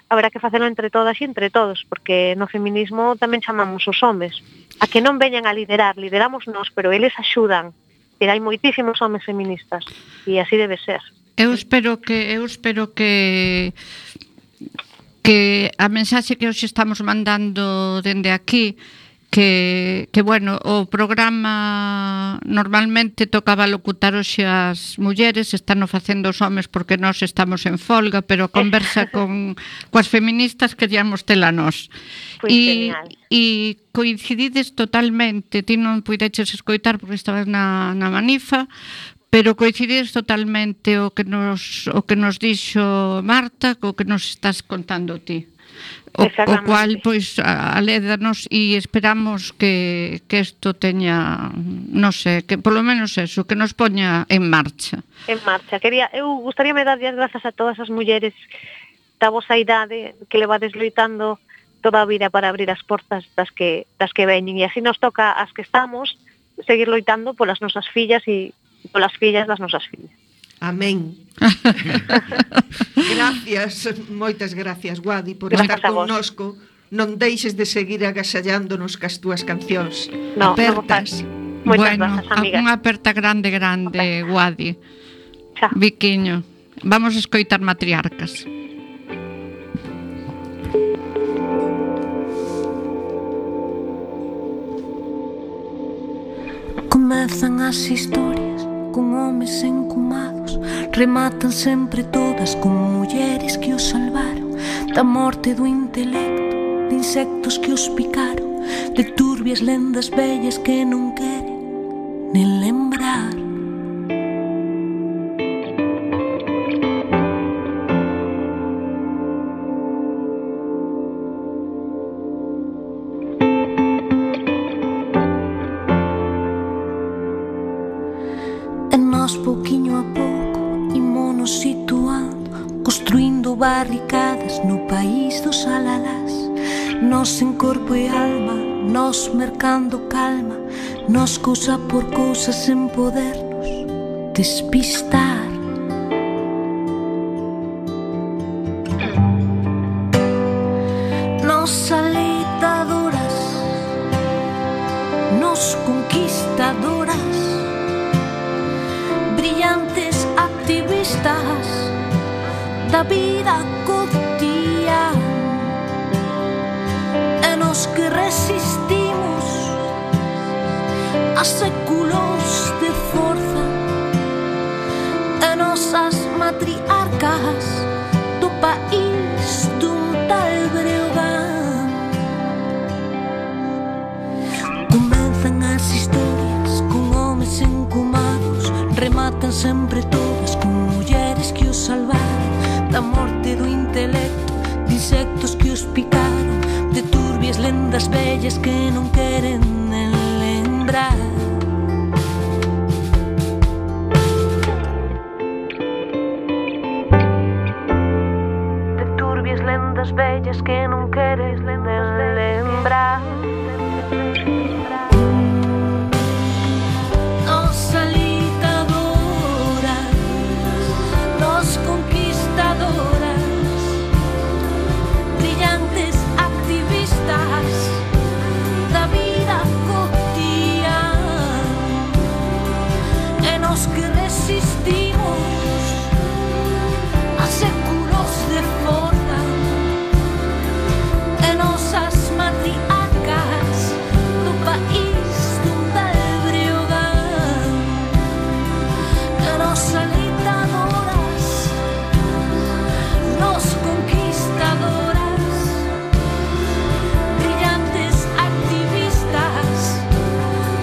haberá que facelo entre todas e entre todos, porque no feminismo tamén chamamos os homes a que non veñan a liderar, lideramos nós, pero eles axudan. E hai moitísimos homes feministas e así debe ser.
Eu espero que eu espero que que a mensaxe que hoxe estamos mandando dende aquí que, que bueno, o programa normalmente tocaba locutar hoxe as mulleres, están o facendo os homes porque nós estamos en folga, pero a conversa con coas feministas queríamos tela nós.
Pois
e,
genial.
E coincidides totalmente, ti non puideches escoitar porque estabas na, na manifa, pero coincidides totalmente o que nos o que nos dixo Marta, co que nos estás contando ti. O, o cual, pois, alédanos e esperamos que que isto teña, non sei, que polo menos eso, que nos poña en marcha.
En marcha. Quería, eu gustaríame dar as grazas a todas as mulleres da vosa idade que levades loitando toda a vida para abrir as portas das que das que veñen, e así nos toca as que estamos seguir loitando polas nosas fillas e polas fillas das nosas fillas.
Amén. Gracias, moitas gracias, Guadi, por
Gracias
estar connosco. Non deixes de seguir agasallándonos cas túas cancións.
No,
apertas.
No,
bueno,
gracias, amiga.
unha aperta grande, grande, Guadi. Viquiño. Vamos a escoitar Matriarcas.
Comezan as historias con homes encumados, rematan sempre todas con mulleres que os salvaron da morte do intelecto, de insectos que os picaron, de turbias lendas vellas que non queren nen lembrar. Pouquiño a pouco imonos situando, construindo barricadas no país dos alalás. Nos en corpo e alma, nos mercando calma, nos cousa por cousa sen podernos despistar. Nos alitadoras, nos conquistadoras, brillantes activistas da vida cotidiana, e nos que resistimos a séculos de forza, e nosas matriarcas do país dun tal Breogán. Comenzan as historias con homes encumados, rematan sempre todas con mulleres que os salvaron da morte do intelecto, de insectos que os picaron, de turbias lendas vellas que non queren nen lembrar. De turbias lendas vellas que non queres nen lembrar. lembrar. Nos alitadoras, nos conquistadoras, brillantes activistas da vida cotidiana, e nos que resistimos a séculos de forra, e nosas matriarcas do país donde Breogán, e nos alentadoras, nos conquistadoras, brillantes activistas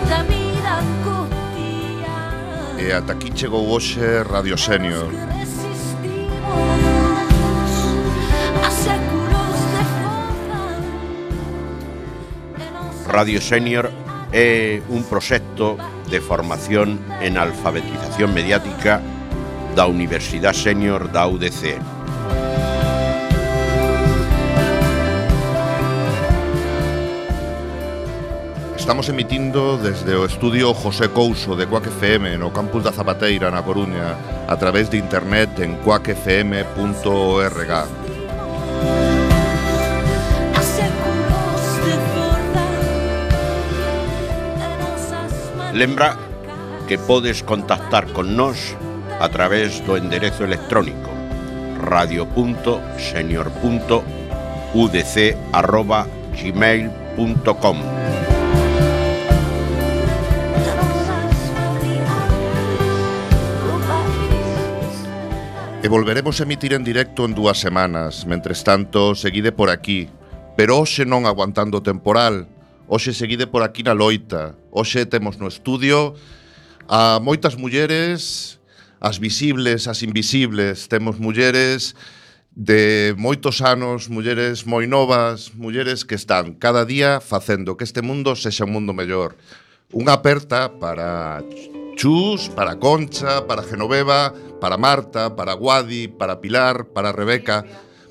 da vida cotidiana.
E ata aquí chegou hoxe Radio Senior.
Radio Senior é un proxecto de formación en alfabetización mediática da Universidade Senior da U D C.
Estamos emitindo desde o estudio José Couso de Quack F M no campus da Zapateira na Coruña a través de internet en quack f m punto org.
Lembra que podes contactar con nós a través do enderezo electrónico radio punto senior punto u d c arroba gmail punto com.
E volveremos a emitir en directo en dúas semanas. Mentres tanto, seguide por aquí. Pero hoxe non aguantando o temporal. Hoxe seguide por aquí na loita. Hoxe temos no estudio a moitas mulleres, as visibles, as invisibles. Temos mulleres de moitos anos, mulleres moi novas, mulleres que están cada día facendo que este mundo sexa un mundo mellor. Unha aperta para Chus, para Concha, para Genoveva, para Marta, para Guadi, para Pilar, para Rebeca,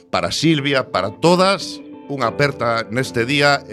para Silvia, para todas. Unha aperta neste día.